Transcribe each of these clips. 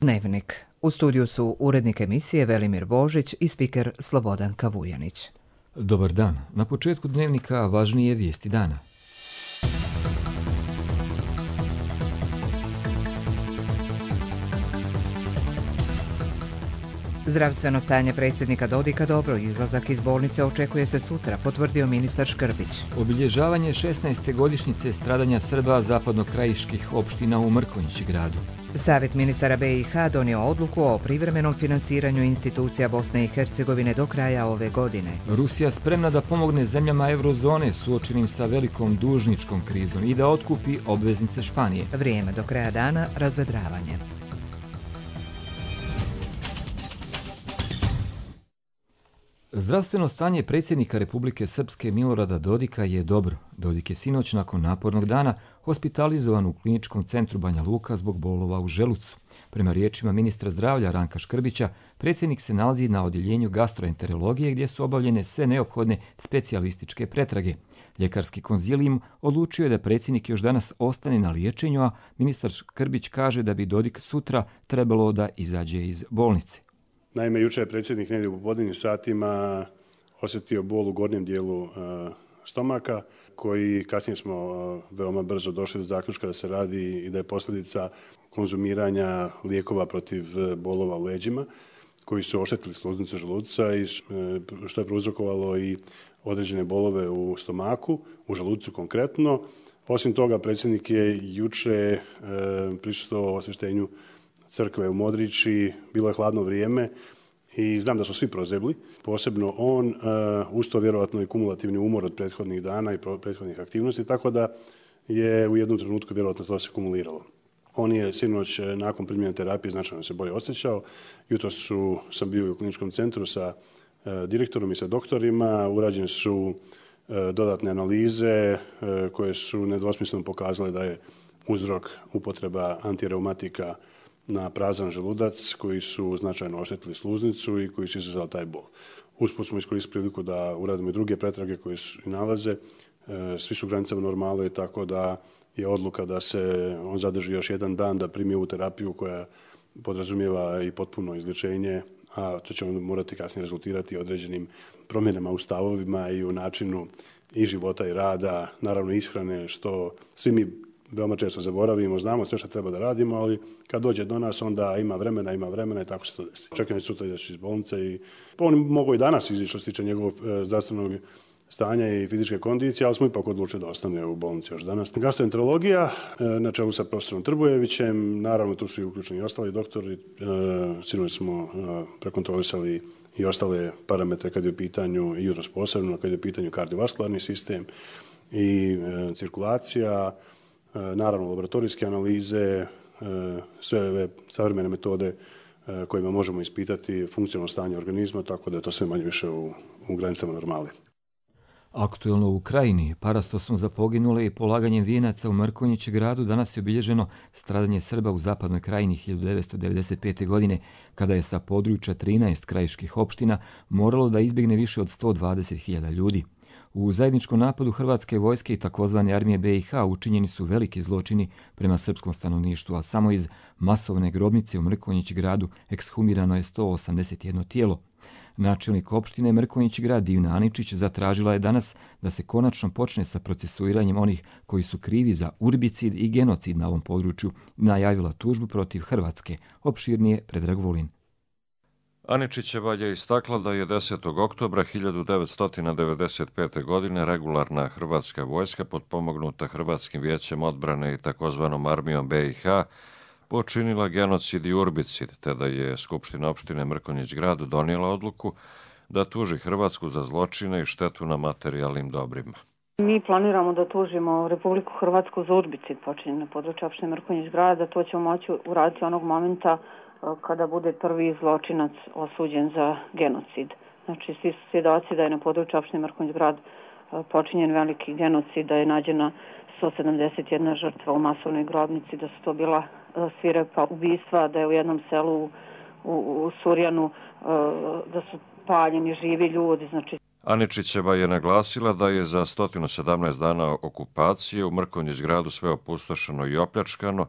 Dnevnik. U studiju su urednik emisije Velimir Božić i spiker Slobodanka Vujanić. Dobar dan. Na početku Dnevnika važnije vijesti dana. Zdravstveno stanje predsjednika Dodika dobro, izlazak iz bolnice očekuje se sutra, potvrdio ministar Škrbić. Obilježavanje 16. godišnjice stradanja Srba zapadnokrajiških opština u Mrkonjić gradu. Savjet ministara BiH donio odluku o privremenom finansiranju institucija Bosne i Hercegovine do kraja ove godine. Rusija spremna da pomogne zemljama eurozone suočenim sa velikom dužničkom krizom i da otkupi obveznice Španije. Vrijeme do kraja dana, razvedravanje. Zdravstveno stanje predsjednika Republike Srpske Milorada Dodika je dobro. Dodik je sinoć nakon napornog dana hospitalizovan u kliničkom centru Banja Luka zbog bolova u želucu. Prema riječima ministra zdravlja Ranka Škrbića, predsjednik se nalazi na odjeljenju gastroenterologije gdje su obavljene sve neophodne specijalističke pretrage. Ljekarski konzilijum odlučio je da predsjednik još danas ostane na liječenju, a ministar Škrbić kaže da bi Dodik sutra trebalo da izađe iz bolnice. Naime, jučer je predsjednik negdje u popodnevnim satima osjetio bol u gornjem dijelu stomaka, koji kasnije smo veoma brzo došli do zaključka da se radi i da je posljedica konzumiranja lijekova protiv bolova u leđima, koji su oštetili sluznicu želuca i što je prouzrokovalo i određene bolove u stomaku, u želucu konkretno. Osim toga, predsjednik je jučer prisustvovao osvještenju crkve u Modrići, bilo je hladno vrijeme i znam da su svi prozebli, posebno on, uz to vjerojatno i kumulativni umor od prethodnih dana i prethodnih aktivnosti, tako da je u jednom trenutku vjerojatno to se kumuliralo. On je sinoć nakon primjene terapije značajno se bolje osjećao. Jutros sam bio u kliničkom centru sa direktorom i sa doktorima, urađene su dodatne analize koje su nedvosmisleno pokazale da je uzrok upotreba antireumatika na prazan želudac koji su značajno oštetili sluznicu i koji su izazvali taj bol. Usput smo iskoristili priliku da uradimo i druge pretrage koje su i nalaze. Svi su u granicama normale, tako da je odluka da se on zadrži još jedan dan da primi ovu terapiju koja podrazumijeva i potpuno izlječenje, a to će morati kasnije rezultirati određenim promjenama u stavovima i u načinu i života i rada, naravno ishrane, što svi mi veoma često zaboravimo, znamo sve što treba da radimo, ali kad dođe do nas onda ima vremena i tako se to desi. Čekam sutra izaći iz bolnice i on mogu i danas izaći što se tiče njegovog zdravstvenog stanja i fizičke kondicije, ali smo ipak odlučili da ostane u bolnici još danas. Gastroenterologija na čelu sa profesorom Trbujevićem, naravno tu su i uključeni i ostali doktori, sinoć smo prekontrolisali i ostale parametre kad je u pitanju i UROS posebno, kad je u pitanju kardiovaskularni sistem i cirkulacija, naravno laboratorijske analize, sve ove savremene metode kojima možemo ispitati funkcionalno stanje organizma, tako da je to sve manje više u granicama normale. Aktuelno u Ukrajini, parastosom za poginule i polaganjem vijenaca u Mrkonjić gradu danas je obilježeno stradanje Srba u zapadnoj krajini 1995. godine, kada je sa područja 13 krajiških opština moralo da izbjegne više od 120.000 ljudi. U zajedničkom napadu hrvatske vojske i takozvane armije BiH učinjeni su veliki zločini prema srpskom stanovništvu, a samo iz masovne grobnice u Mrkonjić gradu ekshumirano je 181 tijelo. Načelnik opštine Mrkonjić grad Divna Aničić zatražila je danas da se konačno počne sa procesuiranjem onih koji su krivi za urbicid i genocid na ovom području, najavila tužbu protiv Hrvatske. Opširnije Predrag Vulin. Aničićeva je istakla da je 10. oktobra 1995. godine regularna hrvatska vojska potpomognuta Hrvatskim vijećem odbrane i takozvanom armijom BiH počinila genocid i urbicid, te da je Skupština opštine Mrkonjić grad donijela odluku da tuži Hrvatsku za zločine i štetu na materijalnim dobrima. Mi planiramo da tužimo Republiku Hrvatsku za urbicid počinjen na području opštine Mrkonjić grada. To ćemo moći uraditi onog momenta kada bude prvi zločinac osuđen za genocid. Znači, svi su svjedoci da je na području opštine Mrkonjić grad počinjen veliki genocid, da je nađena 171 žrtva u masovnoj grobnici, da su to bila svirepa ubistva, da je u jednom selu u Surjanu da su paljeni živi ljudi. Znači, Aničićeva je naglasila da je za 117 dana okupacije u Mrkonjić gradu sve opustošeno i opljačkano,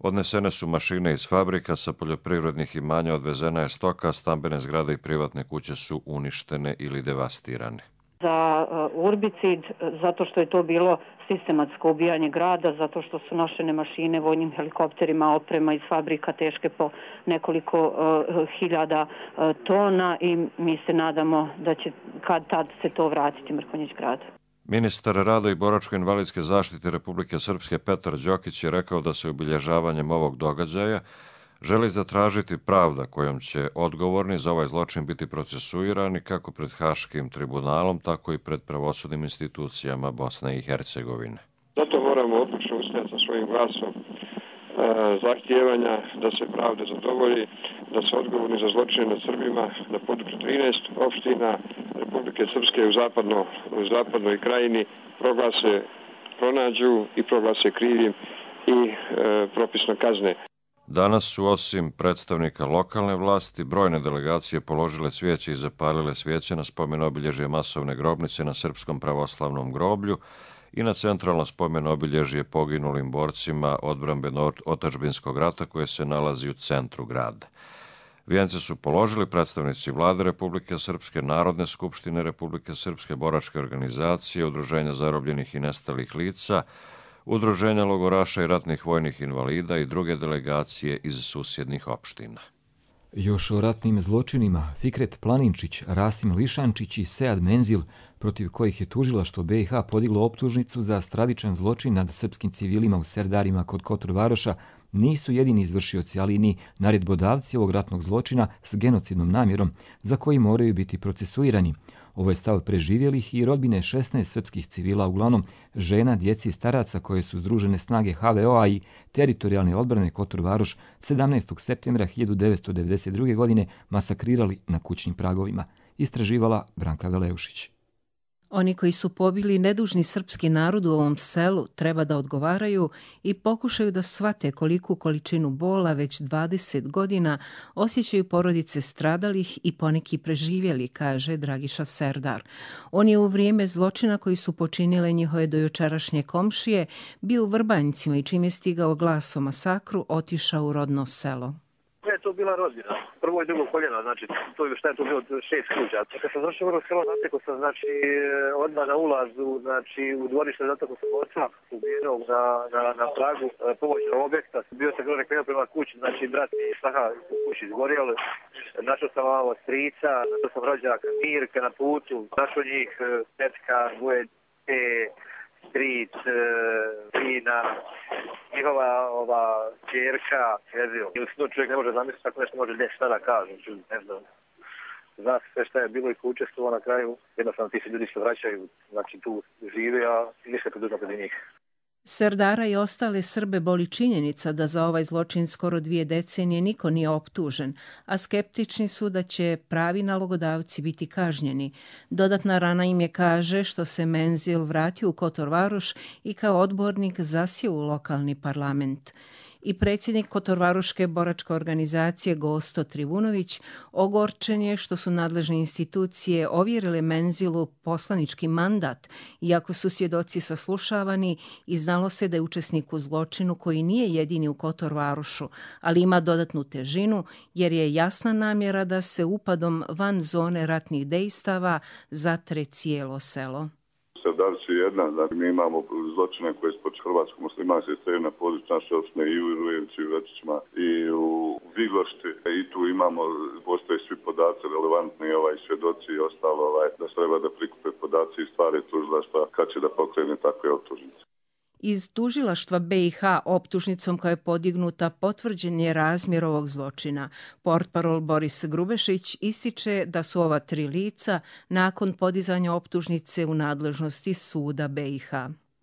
Odnesene su mašine iz fabrika, sa poljoprivrednih imanja odvezena je stoka, stambene zgrade i privatne kuće su uništene ili devastirane. Za urbicid, zato što je to bilo sistematsko ubijanje grada, zato što su nošene mašine vojnim helikopterima, oprema iz fabrika teške po nekoliko hiljada tona i mi se nadamo da će kad tad se to vratiti Mrkonjić gradu. Ministar rada i boračko-invalidske zaštite Republike Srpske Petar Đokić je rekao da se obilježavanjem ovog događaja želi zatražiti pravda kojom će odgovorni za ovaj zločin biti procesuirani kako pred Haškim tribunalom, tako i pred pravosudnim institucijama Bosne i Hercegovine. Zato moramo odlučno ustati sa svojim glasom zahtijevanja da se pravda zadovolji, da se odgovorni za zločine nad Srbima na području 13 opština Republike Srpske u zapadnoj krajini pronađu i proglase krivim i propisno kazne. Danas su osim predstavnika lokalne vlasti brojne delegacije položile cvijeće i zapalile svijeće na spomen obilježje masovne grobnice na Srpskom pravoslavnom groblju i na centralno spomen obilježje poginulim borcima odbrambeno-otadžbinskog rata koje se nalazi u centru grada. Vijence su položili predstavnici Vlade Republike Srpske, Narodne skupštine Republike Srpske, boračke organizacije, Udruženja zarobljenih i nestalih lica, Udruženja logoraša i ratnih vojnih invalida i druge delegacije iz susjednih opština. Još o ratnim zločinima Fikret Planinčić, Rasim Lišančić i Sead Menzil, protiv kojih je tužilaštvo BiH podiglo optužnicu za stravičan zločin nad srpskim civilima u Serdarima kod Kotor Varoša, nisu jedini izvršioci, ali ni naredbodavci ovog ratnog zločina s genocidnom namjerom za koji moraju biti procesuirani. Ovo je stav preživjelih i rodbine 16 srpskih civila, uglavnom žena, djeci i staraca koje su združene snage HVO-a i teritorijalne odbrane Kotor Varoš 17. septembra 1992. godine masakrirali na kućnim pragovima. Istraživala Branka Veleušić. Oni koji su pobili nedužni srpski narod u ovom selu treba da odgovaraju i pokušaju da shvate koliku količinu bola već 20 godina osjećaju porodice stradalih i poneki preživjeli, kaže Dragiša Serdar. On je u vrijeme zločina koji su počinile njihove dojučerašnje komšije bio u Vrbanjcima i čim je stigao glas o masakru otišao u rodno selo. Je to bila rodbina, prvo i drugo koljeno, znači to je šta je to bilo 6 kuća. Kad sam došao u selo, zatekao sam znači odmah na ulazu, znači u dvorište, zatekao sam oca ubijenog na pragu pomoćnog objekta. Bio sam gore krenuo prema kući, znači brat i snaha u kući izgorjeli. Našao sam malo strica, našao sam rođaka Mirka na putu, našao njih tetka, dvoje stric, sina, njihova čerka, i u snu čovjek ne može zamisliti tako nešto može šta da kaže, ne znam. Zna se sve šta je bilo i ko učestvovao na kraju, jednostavno ti se ljudi se vraćaju, znači tu žive, a ništa poduzma kod njih. Serdara i ostale Srbe boli činjenica da za ovaj zločin skoro 2 decenije niko nije optužen, a skeptični su da će pravi nalogodavci biti kažnjeni. Dodatna rana im je, kaže, što se Menzil vratio u Kotor Varoš i kao odbornik zasio u lokalni parlament. I predsjednik Kotorvaroške boračke organizacije Gosto Trivunović ogorčen je što su nadležne institucije ovjerile Menzilu poslanički mandat, iako su svjedoci saslušavani i znalo se da je učesnik u zločinu koji nije jedini u Kotorvarošu, ali ima dodatnu težinu jer je jasna namjera da se upadom van zone ratnih dejstava zatre cijelo selo. Serdarci je jedna, znači mi imamo zločine koje su počeli hrvatskog muslimanske strane na području naše opštine i u Rujevcu i u Večićima i u Viglošti i tu imamo, postoje svi podaci relevantni, svjedoci i ostalo, da se treba da prikupe podaci i stvari tužilaštva kad će da pokrene takve optužnice. Iz tužilaštva BiH optužnicom koja je podignuta potvrđen je razmjer ovog zločina. Portparol Boris Grubešić ističe da su ova 3 lica nakon podizanja optužnice u nadležnosti suda BiH.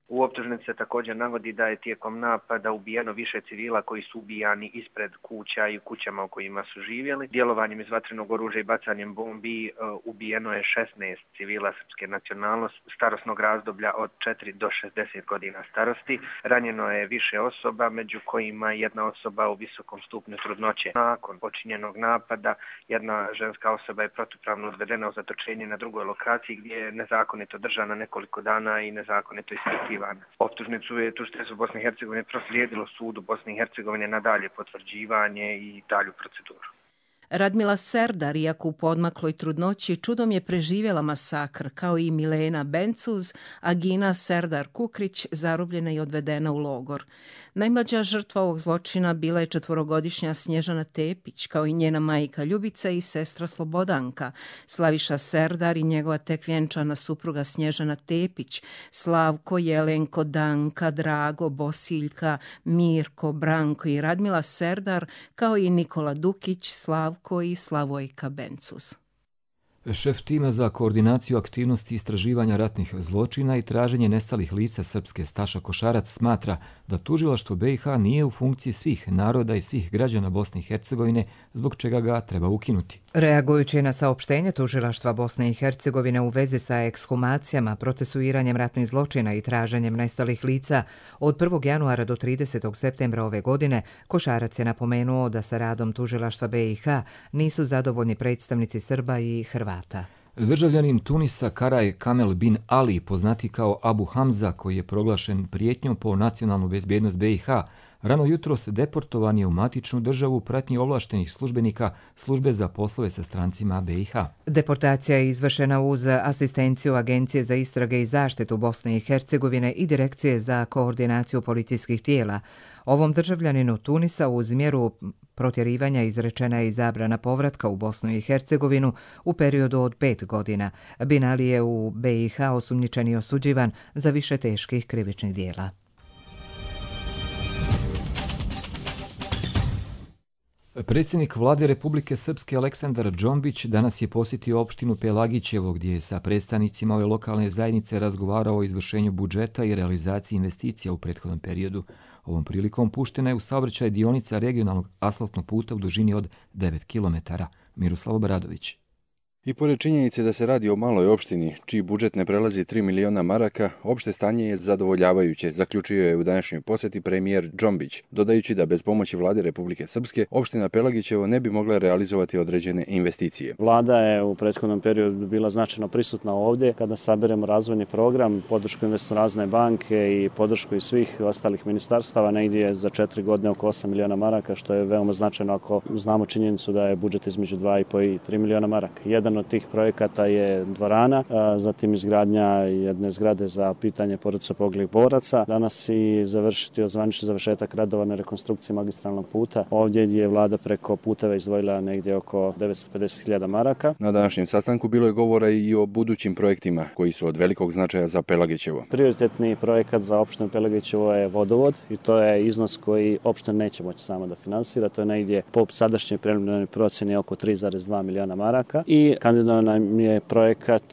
U optužnici se također navodi da je tijekom napada ubijeno više civila koji su ubijani ispred kuća i u kućama u kojima su živjeli. Djelovanjem iz vatrenog oružja i bacanjem bombi ubijeno je 16 civila srpske nacionalnosti starosnog razdoblja od 4 do 60 godina starosti. Ranjeno je više osoba, među kojima jedna osoba u visokom stupnju trudnoće. Nakon počinjenog napada jedna ženska osoba je protupravno odvedena u zatočenje na drugoj lokaciji gdje je nezakonito držana nekoliko dana i nezakonito ispitivana. potvrđivana. Optužnicu je tužiteljstvo Bosne i Hercegovine proslijedilo sudu Bosne i Hercegovine na dalje potvrđivanje i dalju proceduru. Radmila Serdar, iako u poodmakloj trudnoći, čudom je preživjela masakr, kao i Milena Bencuz, a Gina Serdar Kukrić zarobljena i odvedena u logor. Najmlađa žrtva ovog zločina bila je 4-godišnja Snježana Tepić, kao i njena majka Ljubica i sestra Slobodanka. Slaviša Serdar i njegova tek vjenčana supruga Snježana Tepić, Slavko, Jelenko, Danka, Drago, Bosiljka, Mirko, Branko i Radmila Serdar, kao i Nikola Dukić, Slavko i Slavojka Bencuz. Šef tima za koordinaciju aktivnosti istraživanja ratnih zločina i traženje nestalih lica srpske Staša Košarac smatra da tužilaštvo BiH nije u funkciji svih naroda i svih građana Bosne i Hercegovine, zbog čega ga treba ukinuti. Reagujući na saopštenje tužilaštva Bosne i Hercegovine u vezi sa ekshumacijama, procesuiranjem ratnih zločina i traženjem nestalih lica, od 1. januara do 30. septembra ove godine, Košarac je napomenuo da sa radom tužilaštva BiH nisu zadovoljni predstavnici Srba i Hrvata. Državljanin Tunisa Karaj Kamel bin Ali, poznati kao Abu Hamza, koji je proglašen prijetnjom po nacionalnu bezbjednost BiH, rano jutros deportovan je u matičnu državu u pratnji ovlaštenih službenika Službe za poslove sa strancima BiH. Deportacija je izvršena uz asistenciju Agencije za istrage i zaštitu Bosne i Hercegovine i Direkcije za koordinaciju policijskih tijela. Ovom državljaninu Tunisa uz mjeru protjerivanja izrečena je i zabrana povratka u Bosnu i Hercegovinu u periodu od 5 godina. Bin Ali je u BiH osumnjičen i osuđivan za više teških krivičnih dijela. Predsjednik vlade Republike Srpske Aleksandar Džombić danas je posjetio opštinu Pelagićevo, gdje je sa predstavnicima ove lokalne zajednice razgovarao o izvršenju budžeta i realizaciji investicija u prethodnom periodu. Ovom prilikom puštena je u saobraćaj dionica regionalnog asfaltnog puta u dužini od 9 km. Miroslav Obradović. I pored činjenice da se radi o maloj opštini, čiji budžet ne prelazi 3 miliona maraka, opšte stanje je zadovoljavajuće, zaključio je u današnjoj posjeti premijer Džombić, dodajući da bez pomoći vlade Republike Srpske, opština Pelagićevo ne bi mogla realizovati određene investicije. Vlada je u prethodnom periodu bila značajno prisutna ovdje kada saberemo razvojni program, podršku Investorazne banke i podršku i svih ostalih ministarstava, negdje za 4 godine oko 8 miliona maraka, što je veoma značajno ako znamo činjenicu da je budžet između 2,5 i 3 miliona maraka. Jedan od tih projekata je dvorana, zatim izgradnja jedne zgrade za pitanje porodica poginulih boraca. Danas i zvanični završetak radova na rekonstrukciji magistralnog puta. Ovdje je vlada preko puteva izdvojila negdje oko 950.000 maraka. Na današnjem sastanku bilo je govora i o budućim projektima koji su od velikog značaja za Pelagićevo. Prioritetni projekat za opštinu Pelagićevo je vodovod i to je iznos koji opština neće moći sama da finansira. To je negdje po sadašnjoj preliminarnoj procjeni oko 3,2 miliona maraka i kandidovan nam je projekat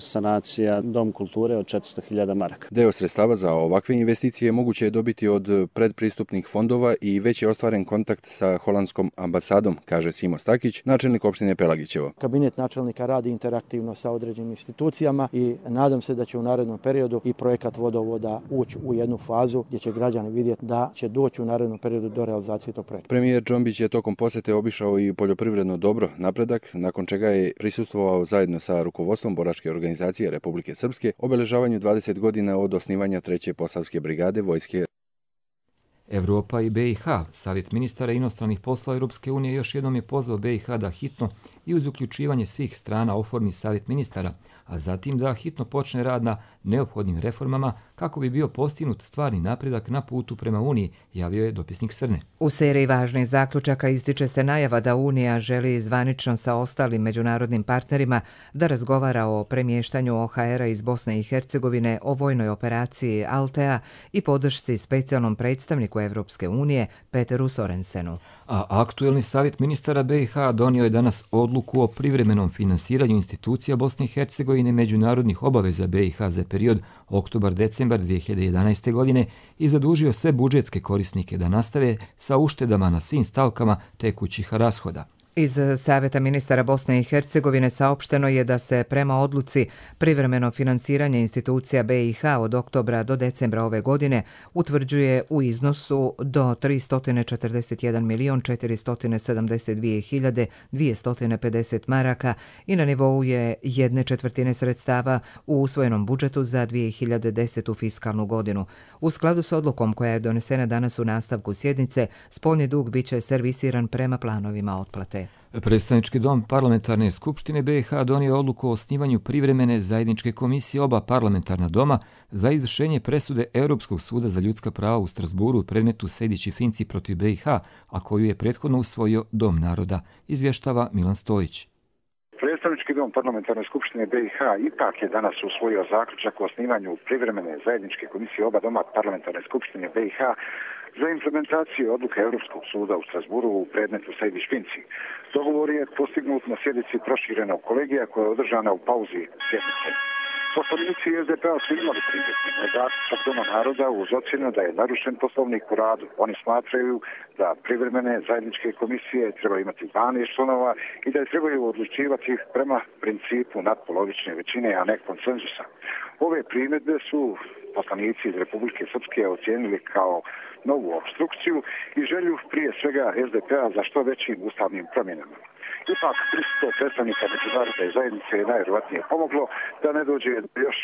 sanacija Dom kulture od 400.000 maraka. Deo sredstava za ovakve investicije moguće je dobiti od predpristupnih fondova i već je ostvaren kontakt sa holandskom ambasadom, kaže Simo Stakić, načelnik opštine Pelagićevo. Kabinet načelnika radi interaktivno sa određenim institucijama i nadam se da će u narednom periodu i projekat vodovoda ući u jednu fazu gdje će građani vidjeti da će doći u narednom periodu do realizacije tog projekta. Premijer Džombić je tokom posjete obišao i poljoprivredno dobro Napredak, nakon čega je prisustvovao zajedno sa rukovodstvom boračke organizacije Republike Srpske obeležavanju 20 godina od osnivanja 3. Posavske brigade vojske. Evropa i BiH. Savjet ministara inostranih poslova Europske unije još jednom je pozvao BiH da hitno i uz uključivanje svih strana oformi Savjet ministara, a zatim da hitno počne rad na neophodnim reformama kako bi bio postignut stvarni napredak na putu prema Uniji, javio je dopisnik Srne. U seriji važnih zaključaka ističe se najava da Unija želi zvanično sa ostalim međunarodnim partnerima da razgovara o premještanju OHR-a iz Bosne i Hercegovine, o vojnoj operaciji Altea i podršci specijalnom predstavniku Evropske unije Peteru Sorensenu. A aktuelni savjet ministara BiH donio je danas odluku o privremenom finansiranju institucija Bosne i Hercegovine međunarodnih obaveza BiH za period oktobar-decembar 2011. godine i zadužio sve budžetske korisnike da nastave sa uštedama na svim stavkama tekućih rashoda. Iz Saveta ministara Bosne i Hercegovine saopšteno je da se prema odluci privremeno finansiranje institucija BiH od oktobra do decembra ove godine utvrđuje u iznosu do 341.472.250 maraka i na nivou je 1/4 sredstava u usvojenom budžetu za 2010. fiskalnu godinu. U skladu s odlukom koja je donesena danas u nastavku sjednice, spoljni dug biće servisiran prema planovima otplate. Predstavnički dom Parlamentarne skupštine BiH donio odluku o osnivanju privremene zajedničke komisije oba parlamentarna doma za izvršenje presude Europskog suda za ljudska prava u Strasburu u predmetu Sejdić i Finci protiv BiH, a koju je prethodno usvojio Dom naroda, izvještava Milan Stojić. Predstavnički dom Parlamentarne skupštine BiH ipak je danas usvojio zaključak o osnivanju privremene zajedničke komisije oba doma Parlamentarne skupštine BiH za implementaciju odluke Europskog suda u Strasburu u predmetu Sejdić-Finci. Dogovor je postignut na sjednici proširenog kolegija koja je održana u pauzi sjednice. Poslanici SDP-a su imali primjedbe na zaključak Doma naroda uz ocjenu da je narušen poslovnik u radu. Oni smatraju da privremene zajedničke komisije treba imati 12 članova i da je trebaju odlučivati prema principu nadpolovične većine, a ne konsenzusa. Ove primjedbe su poslanici iz Republike Srpske ocijenili kao novu obstrukciju i želju prije svega SDP-a za što većim ustavnim promjenama. Ipak, prisustvo predstavnika međunarodne zajednice je najvjerojatnije pomoglo da ne dođe do još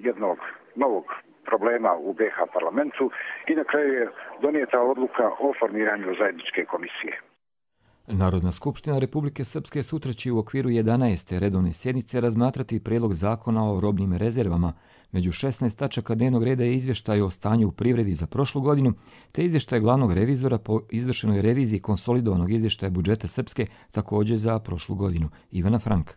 jednog novog problema u BiH parlamentu i na kraju je donijeta odluka o formiranju zajedničke komisije. Narodna skupština Republike Srpske sutra će u okviru 11. redovne sjednice razmatrati prijedlog zakona o robnim rezervama. Među 16 tačaka dnevnog reda je izvještaj o stanju u privredi za prošlu godinu, te izvještaj glavnog revizora po izvršenoj reviziji konsolidovanog izvještaja budžeta Srpske također za prošlu godinu. Ivana Frank.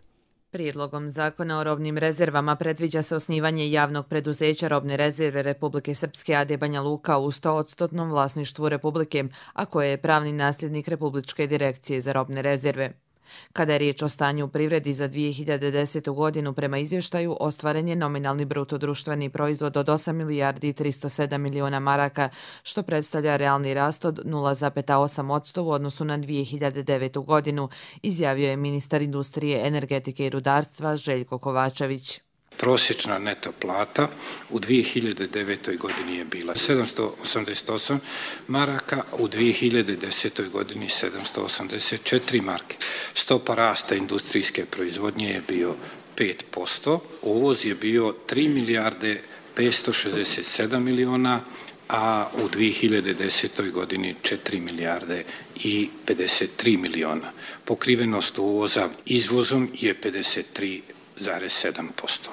Prijedlogom zakona o robnim rezervama predviđa se osnivanje javnog preduzeća robne rezerve Republike Srpske AD Banja Luka u 100% vlasništvu Republike, a koje je pravni nasljednik Republičke direkcije za robne rezerve. Kada je riječ o stanju u privredi za 2010. godinu, prema izvještaju ostvaren je nominalni bruto društveni proizvod od 8 milijardi i 307 miliona maraka, što predstavlja realni rast od 0,8% u odnosu na 2009. godinu, izjavio je ministar industrije, energetike i rudarstva Željko Kovačević. Prosječna neto plata u 2009. godini je bila 788 maraka, u 2010. godini 784 marke. Stopa rasta industrijske proizvodnje je bio 5%, uvoz je bio 3 milijarde 567 miliona, a u 2010. godini 4 milijarde i 53 miliona. Pokrivenost uvoza izvozom je 53,7%.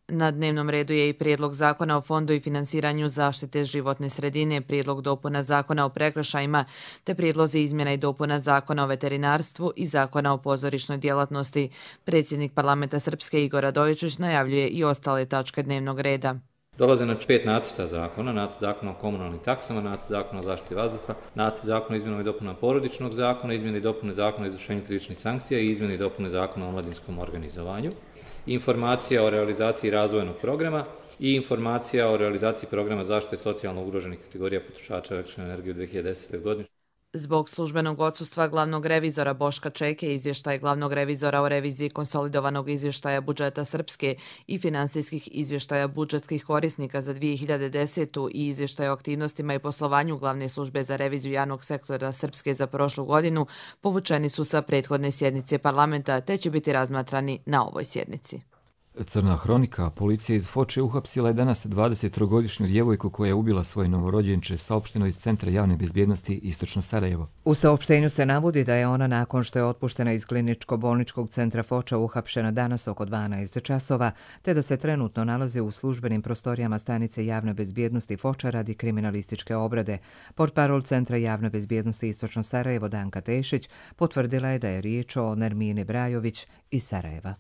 Na dnevnom redu je i prijedlog zakona o fondu i finansiranju zaštite životne sredine, prijedlog dopuna zakona o prekršajima, te prijedlozi izmjena i dopuna zakona o veterinarstvu i zakona o pozorišnoj djelatnosti. Predsjednik parlamenta Srpske Igor Radojičić najavljuje i ostale tačke dnevnog reda. Dolaze na 5 nacrta zakona, nacrt zakona o komunalnim taksama, nacrt zakona o zaštiti vazduha, nacrt zakona o izmjenama i dopunama porodičnog zakona, izmjene i dopune zakona o izvršenju krivičnih sankcija i izmjene i dopune zakona o omladinskom organizovanju, informacija o realizaciji razvojnog programa i informacija o realizaciji programa zaštite socijalno ugroženih kategorija potrošača električne energije u 2010. godini. Zbog službenog odsustva glavnog revizora Boška Čeke, izvještaj glavnog revizora o reviziji konsolidovanog izvještaja budžeta Srpske i finansijskih izvještaja budžetskih korisnika za 2010. i izvještaj o aktivnostima i poslovanju glavne službe za reviziju javnog sektora Srpske za prošlu godinu povučeni su sa prethodne sjednice parlamenta, te će biti razmatrani na ovoj sjednici. Crna hronika. Policija iz Foče uhapsila je danas 23-godišnju djevojku koja je ubila svoje novorođenče, saopšteno iz Centra javne bezbjednosti Istočno Sarajevo. U saopštenju se navodi da je ona nakon što je otpuštena iz kliničko-bolničkog centra Foča uhapšena danas oko 12 časova, te da se trenutno nalazi u službenim prostorijama stanice javne bezbjednosti Foča radi kriminalističke obrade. Portparol Centra javne bezbjednosti Istočno Sarajevo Danka Tešić potvrdila je da je riječ o Nermini Brajović iz Sarajeva.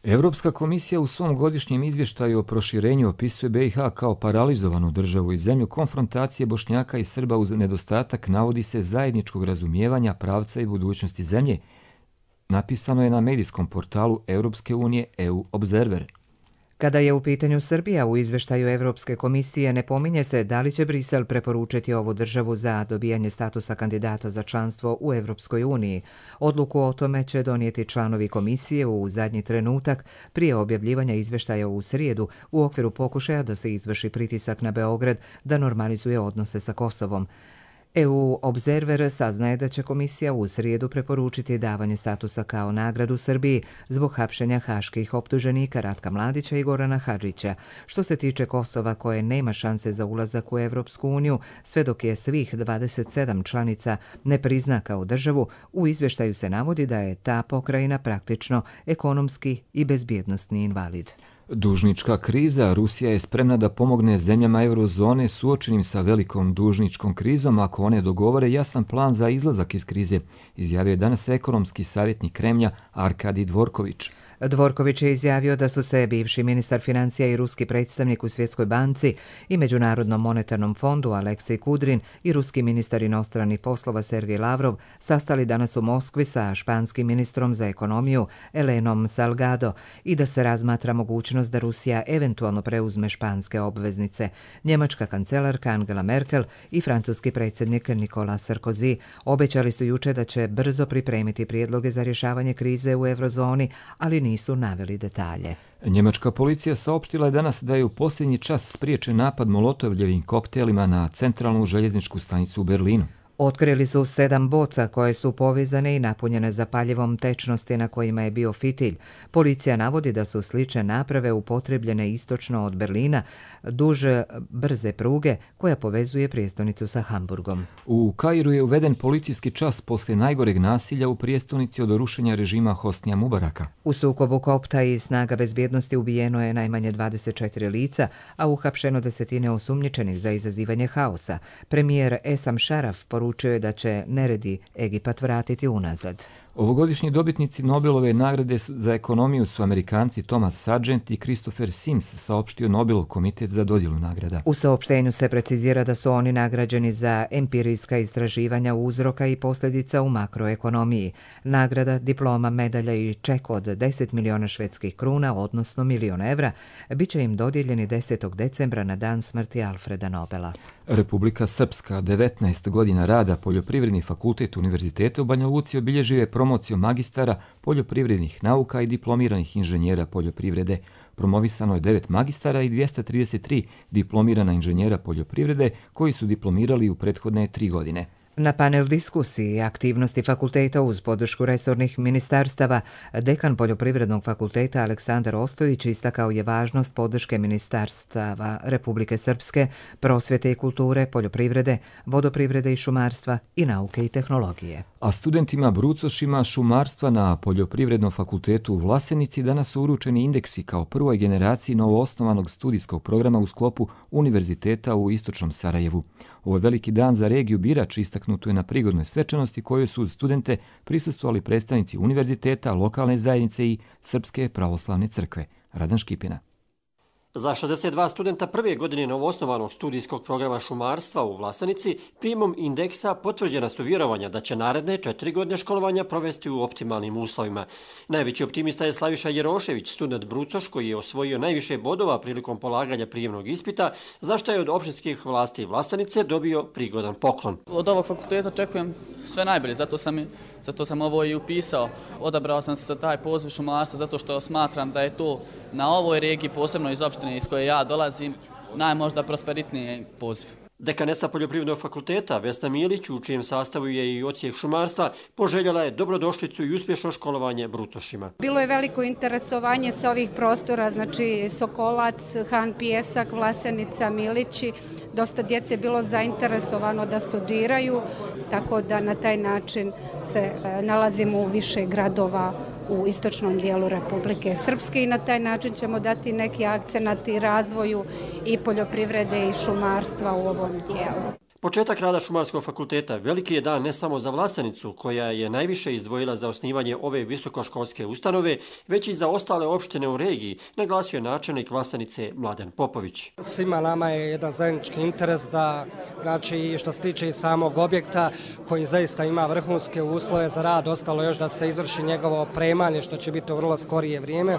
Europska komisija u svom godišnjem izvještaju o proširenju opisuje BiH kao paralizovanu državu i zemlju konfrontacije Bošnjaka i Srba uz nedostatak, navodi se, zajedničkog razumijevanja pravca i budućnosti zemlje. Napisano je na medijskom portalu Europske unije EU Observer. Kada je u pitanju Srbija, u izveštaju Evropske komisije ne pominje se da li će Brisel preporučiti ovu državu za dobijanje statusa kandidata za članstvo u Evropskoj uniji. Odluku o tome će donijeti članovi komisije u zadnji trenutak prije objavljivanja izveštaja u srijedu u okviru pokušaja da se izvrši pritisak na Beograd da normalizuje odnose sa Kosovom. EU Observer saznaje da će komisija u srijedu preporučiti davanje statusa kao nagradu Srbiji zbog hapšenja haških optuženika Ratka Mladića i Gorana Hadžića. Što se tiče Kosova, koje nema šanse za ulazak u Evropsku uniju, sve dok je svih 27 članica ne prizna kao državu, u izvještaju se navodi da je ta pokrajina praktično ekonomski i bezbjednosni invalid. Dužnička kriza. Rusija je spremna da pomogne zemljama eurozone suočenim sa velikom dužničkom krizom ako one dogovore jasan plan za izlazak iz krize, izjavio je danas ekonomski savjetnik Kremlja Arkadij Dvorković. Dvorković je izjavio da su se bivši ministar financija i ruski predstavnik u Svjetskoj banci i Međunarodnom monetarnom fondu Aleksej Kudrin i ruski ministar inostranih poslova Sergej Lavrov sastali danas u Moskvi sa španskim ministrom za ekonomiju Elenom Salgado i da se razmatra mogućnost da Rusija eventualno preuzme španske obveznice. Njemačka kancelarka Angela Merkel i francuski predsjednik Nicolas Sarkozy obećali su juče da će brzo pripremiti prijedloge za rješavanje krize u eurozoni, ali nisu naveli detalje. Njemačka policija saopštila je danas da je u posljednji čas spriječen napad molotovljevim koktelima na centralnu željezničku stanicu u Berlinu. Otkrili su 7 boca koje su povezane i napunjene zapaljivom tečnosti na kojima je bio fitilj. Policija navodi da su slične naprave upotrebljene istočno od Berlina duž brze pruge koja povezuje prijestolnicu sa Hamburgom. U Kairu je uveden policijski čas poslije najgoreg nasilja u prijestolnici od rušenja režima Hosnija Mubaraka. U sukobu kopta i snaga bezbjednosti ubijeno je najmanje 24 lica, a uhapšeno desetine osumnjičenih za izazivanje haosa. Premijer Esam Šaraf poručio je da će neredi Egipat vratiti unazad. Ovogodišnji dobitnici Nobelove nagrade za ekonomiju su Amerikanci Thomas Sargent i Christopher Sims, saopštio Nobelov komitet za dodjelu nagrada. U saopštenju se precizira da su oni nagrađeni za empirijska istraživanja uzroka i posljedica u makroekonomiji. Nagrada, diploma, medalja i ček od 10 miliona švedskih kruna, odnosno milion evra, bit će im dodijeljeni 10. decembra na dan smrti Alfreda Nobela. Republika Srpska, 19 godina rada, Poljoprivredni fakultet Univerziteta u Banja Luci obilježio je promociju magistara poljoprivrednih nauka i diplomiranih inženjera poljoprivrede. Promovisano je 9 magistara i 233 diplomirana inženjera poljoprivrede koji su diplomirali u prethodne 3 godine. Na panel diskusiji i aktivnosti fakulteta uz podršku resornih ministarstava, dekan Poljoprivrednog fakulteta Aleksandar Ostojić istakao je važnost podrške ministarstava Republike Srpske, prosvjete i kulture, poljoprivrede, vodoprivrede i šumarstva i nauke i tehnologije. A studentima brucošima šumarstva na Poljoprivrednom fakultetu u Vlasenici danas su uručeni indeksi kao prvoj generaciji novoosnovanog studijskog programa u sklopu Univerziteta u Istočnom Sarajevu. Ovo je veliki dan za regiju Birač, istaknuto je na prigodnoj svečanosti koju su uz studente prisustvovali predstavnici univerziteta, lokalne zajednice i Srpske pravoslavne crkve. Radan Škipina. Za 62 studenta prve godine novoosnovanog studijskog programa šumarstva u Vlasenici primom indeksa potvrđena su vjerovanja da će naredne 4 godine školovanja provesti u optimalnim uslovima. Najveći optimista je Slaviša Jerošević, student brucoš koji je osvojio najviše bodova prilikom polaganja prijemnog ispita, za što je od opštinskih vlasti Vlasenice dobio prigodan poklon. Od ovog fakulteta očekujem sve najbolje, zato sam ovo i upisao. Odabrao sam se za taj poziv šumarstva zato što smatram da je to na ovoj regiji, posebno iz opštine iz koje ja dolazim, najmožda prosperitniji poziv. Dekanesa Poljoprivrednog fakulteta Vesna Milić, u čijem sastavu je i odsjek šumarstva, poželjela je dobrodošlicu i uspješno školovanje brucošima. Bilo je veliko interesovanje sa ovih prostora, znači Sokolac, Han Pijesak, Vlasenica, Milići. Dosta djece je bilo zainteresovano da studiraju, tako da na taj način se nalazimo u više gradova u istočnom dijelu Republike Srpske i na taj način ćemo dati neki akcenat i razvoju i poljoprivrede i šumarstva u ovom dijelu. Početak rada Šumarskog fakulteta veliki je dan ne samo za Vlasenicu, koja je najviše izdvojila za osnivanje ove visokoškolske ustanove, već i za ostale opštine u regiji, naglasio je načelnik Vlasenice Mladen Popović. Svima nama je jedan zajednički interes da, znači, što se tiče i samog objekta, koji zaista ima vrhunske uslove za rad, ostalo još da se izvrši njegovo opremanje, što će biti u vrlo skorije vrijeme,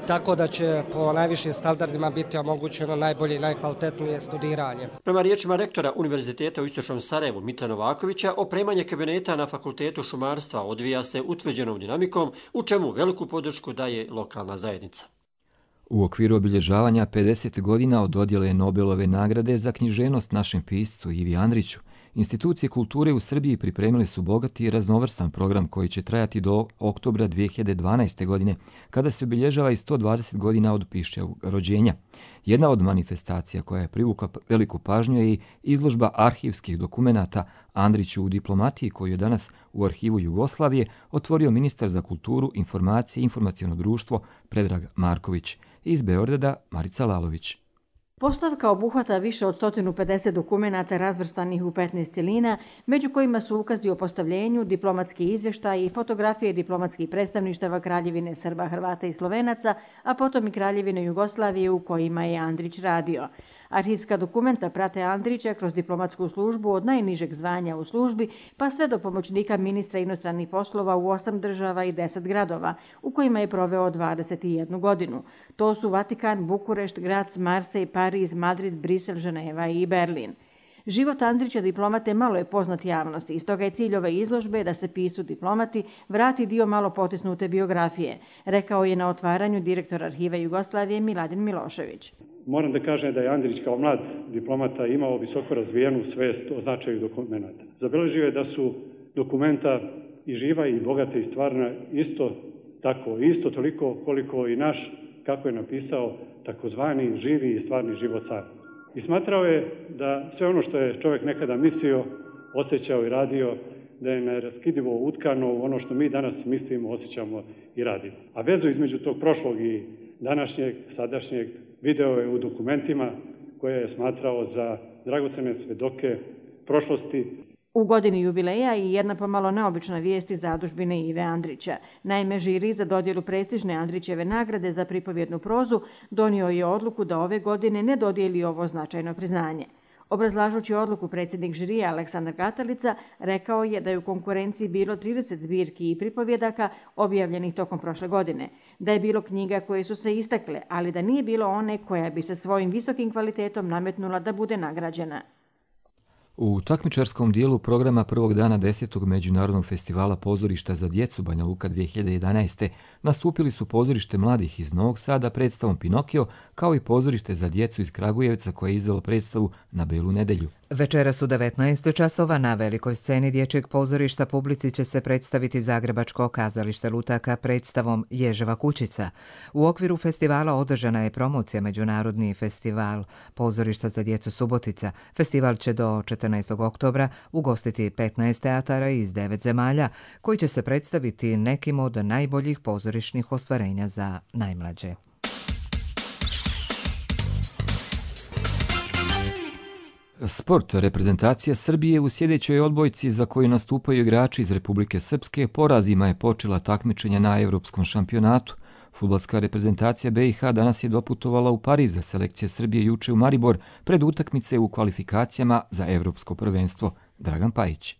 tako da će po najvišim standardima biti omogućeno najbolje i najkvalitetnije studiranje. Prema riječima rektora Univerziteta u Istočnom Sarajevu Mitra Novakovića, opremanje kabineta na Fakultetu šumarstva odvija se utvrđenom dinamikom, u čemu veliku podršku daje lokalna zajednica. U okviru obilježavanja 50 godina od dodjele Nobelove nagrade za književnost našem piscu Ivi Andriću, institucije kulture u Srbiji pripremili su bogati i raznovrstan program koji će trajati do oktobra 2012. godine, kada se obilježava i 120 godina od Piščevog rođenja. Jedna od manifestacija koja je privukla veliku pažnju je i izložba arhivskih dokumenata Andriću u diplomatiji, koju je danas u Arhivu Jugoslavije otvorio ministar za kulturu, informacije i informaciono društvo Predrag Marković. Iz Beograda Marica Lalović. Postavka obuhvata više od 150 dokumenata razvrstanih u 15 cjelina, među kojima su ukazi o postavljenju, diplomatski izvještaj i fotografije diplomatskih predstavništava Kraljevine Srba, Hrvata i Slovenaca, a potom i Kraljevine Jugoslavije u kojima je Andrić radio. Arhivska dokumenta prate Andrića kroz diplomatsku službu od najnižeg zvanja u službi pa sve do pomoćnika ministra inostranih poslova u 8 država i 10 gradova, u kojima je proveo 21 godinu. To su Vatikan, Bukurešt, Graz, Marsej, Pariz, Madrid, Brisel, Ženeva i Berlin. Život Andrića diplomate malo je poznat javnosti i stoga je cilj ove izložbe da se pisu diplomati vrati dio malo potisnute biografije, rekao je na otvaranju direktor Arhiva Jugoslavije Miladin Milošević. Moram da kažem da je Andrić kao mlad diplomata imao visoko razvijenu svest o značaju dokumenta. Zabeležio je da su dokumenta i živa i bogata i stvarna isto tako, isto toliko koliko i naš, kako je napisao, takozvani živi i stvarni život sam. I smatrao je da sve ono što je čovjek nekada mislio, osjećao i radio, da je neraskidivo utkano u ono što mi danas mislimo, osjećamo i radimo. A vezu između tog prošlog i današnjeg, sadašnjeg, video je u dokumentima koje je smatrao za dragocene svedoke prošlosti. U godini jubileja i jedna pomalo neobična vijest iz zadužbine Ive Andrića. Naime, žiri za dodjelu prestižne Andrićeve nagrade za pripovjednu prozu donio je odluku da ove godine ne dodijeli ovo značajno priznanje. Obrazlažući odluku, predsjednik žirija Aleksandar Katalica rekao je da je u konkurenciji bilo 30 zbirki i pripovjedaka objavljenih tokom prošle godine, da je bilo knjiga koje su se istakle, ali da nije bilo one koja bi se svojim visokim kvalitetom nametnula da bude nagrađena. U takmičarskom dijelu programa prvog dana 10. Međunarodnog festivala pozorišta za djecu Banja Luka 2011. nastupili su pozorište mladih iz Novog Sada predstavom Pinokio, kao i pozorište za djecu iz Kragujevca koje je izvelo predstavu na Belu nedelju. Večeras u 19 časova na velikoj sceni dječjeg pozorišta publici će se predstaviti Zagrebačko kazalište lutaka predstavom Ježeva kućica. U okviru festivala održana je promocija Međunarodni festival pozorišta za djecu Subotica. Festival će do 14. oktobra ugostiti 15 teatara iz 9 zemalja koji će se predstaviti nekim od najboljih pozorišnih ostvarenja za najmlađe. Sport. Reprezentacija Srbije u sljedećoj odbojci za koju nastupaju igrači iz Republike Srpske porazima je počela takmičenja na Evropskom šampionatu. Fudbalska reprezentacija BiH danas je doputovala u Pariz, a selekcija Srbije juče u Maribor pred utakmice u kvalifikacijama za Evropsko prvenstvo. Dragan Pajić.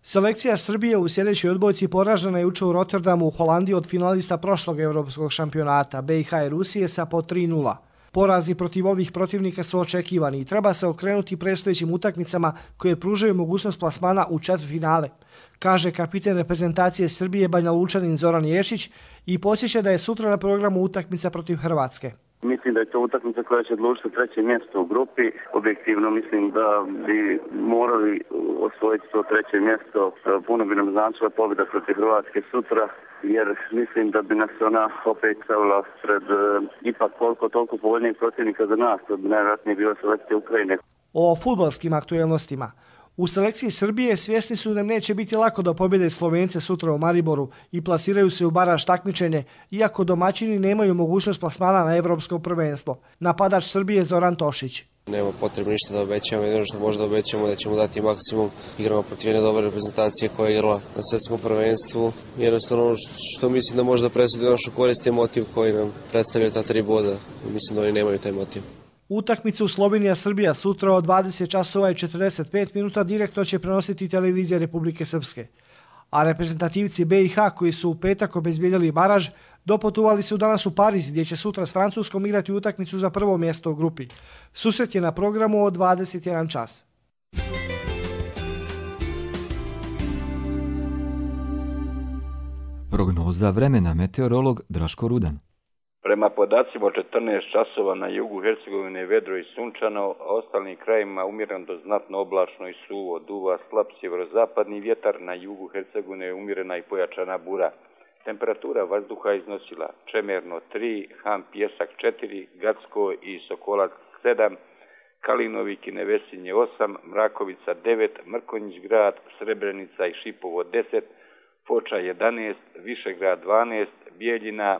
Selekcija Srbije u sljedećoj odbojci poražena je juče u Rotterdamu u Holandiji od finalista prošlog Evropskog šampionata BiH i Rusije sa po 3:0. Porazi protiv ovih protivnika su očekivani i treba se okrenuti predstojećim utakmicama koje pružaju mogućnost plasmana u četvrtfinale, kaže kapiten reprezentacije Srbije Banja Lučanin Zoran Ješić i podsjeća da je sutra na programu utakmica protiv Hrvatske. Mislim da je to utakmica koja će odlučiti treće mjesto u grupi. Objektivno mislim da bi morali osvojiti to treće mjesto. Puno bi nam značila pobjeda protiv Hrvatske sutra, jer mislim da bi nas ona opet stavila pred ipak toliko povoljnijeg protivnika za nas. To bi najvjerojatnije bila selekcija Ukrajine. O fudbalskim aktuelnostima. U selekciji Srbije svjesni su da neće biti lako da pobjede Slovence sutra u Mariboru i plasiraju se u baraž takmičenje, iako domaćini nemaju mogućnost plasmana na evropsko prvenstvo. Napadač Srbije Zoran Tošić. Nema potrebno ništa da obećamo, jedino što možda obećamo da ćemo dati maksimum. Igramo protiv jedne dobre reprezentacije koja je igrala na svjetskom prvenstvu. Jednostavno ono što mislim da možda presudi našu korist je motiv koji nam predstavlja ta 3 boda. Mislim da oni nemaju taj motiv. Utakmicu Slovenija-Srbija sutra od 20 časova i 45 minuta direktno će prenositi televizija Republike Srpske. A reprezentativci BiH koji su u petak obezbijedili baraž doputovali su danas u Pariz gdje će sutra s Francuskom igrati utakmicu za prvo mjesto u grupi. Susret je na programu od 21 čas. Prognoza vremena, meteorolog Draško Rudan. Prema podacima od 14 časova na jugu Hercegovine vedro i sunčano, a ostalim krajima umjereno do znatno oblačno i suvo. Duva slab sjeverozapadni vjetar, na jugu Hercegovine umjerena i pojačana bura. Temperatura vazduha iznosila Čemerno 3, Han Pjesak 4, Gacko i Sokolac 7, Kalinovik i Nevesinje 8, Mrakovica 9, Mrkonjić grad, Srebrenica i Šipovo 10, Foča 11, Višegrad 12, Bijeljina,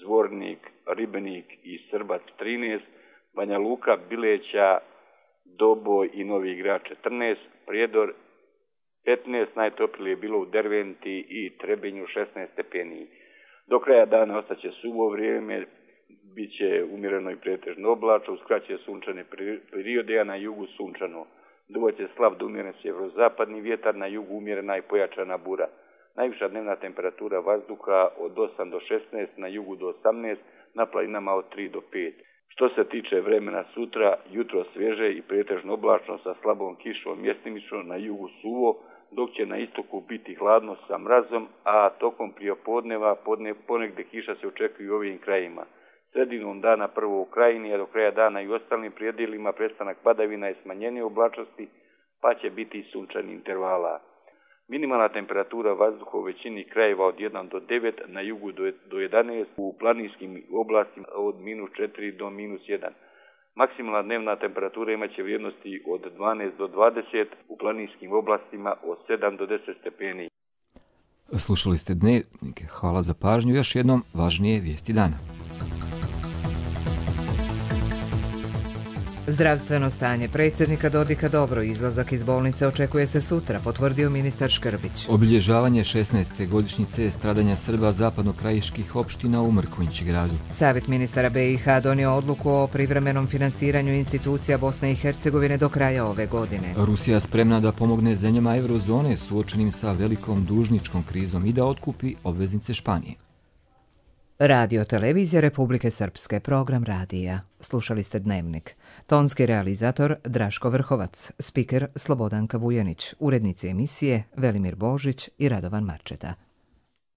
Zvornik, Ribenik i Srbac 13, Banja Luka, Bileća, Doboj i Novi Grad 14, Prijedor 15, najtoplije je bilo u Derventi i Trebinju 16 stepeni. Do kraja dana ostaće suvo vrijeme, bit će umjereno i pretežno oblačno, uskraćuje sunčane periode, a na jugu sunčano. Duvaće slab do umjeren sjeverozapadni vjetar, na jugu umjerena i pojačana bura. Najviša dnevna temperatura vazduha od 8 do 16, na jugu do 18, na planinama od 3 do 5. Što se tiče vremena sutra, jutro svježe i pretežno oblačno sa slabom kišom, mjestimično, na jugu suvo, dok će na istoku biti hladno sa mrazom, a tokom prijepodneva ponegdje kiša se očekuje u ovim krajima. Sredinom dana prvo u Krajini, a do kraja dana i u ostalim predjelima prestanak padavina i smanjenje oblačnosti, pa će biti i sunčani intervala. Minimalna temperatura vazduha u većini krajeva od 1 do 9, na jugu do 11, u planinskim oblastima od -4 do -1. Maksimalna dnevna temperatura imaće vrijednosti od 12 do 20, u planinskim oblastima od 7 do 10 stepeni. Slušali ste Dnevnik. Hvala za pažnju. Još jednom važnije vijesti dana. Zdravstveno stanje predsjednika Dodika dobro, izlazak iz bolnice očekuje se sutra, potvrdio ministar Škrbić. Obilježavanje 16. godišnjice stradanja Srba zapadnokrajiških opština u Mrkonjić gradu. Savjet ministara BiH donio odluku o privremenom finansiranju institucija Bosne i Hercegovine do kraja ove godine. Rusija spremna da pomogne zemljama eurozone suočenim sa velikom dužničkom krizom i da otkupi obveznice Španije. Radio televizija Republike Srpske, program radija. Slušali ste Dnevnik. Tonski realizator Draško Vrhovac, spiker Slobodanka Vujanić, urednici emisije Velimir Božić i Radovan Marčeta.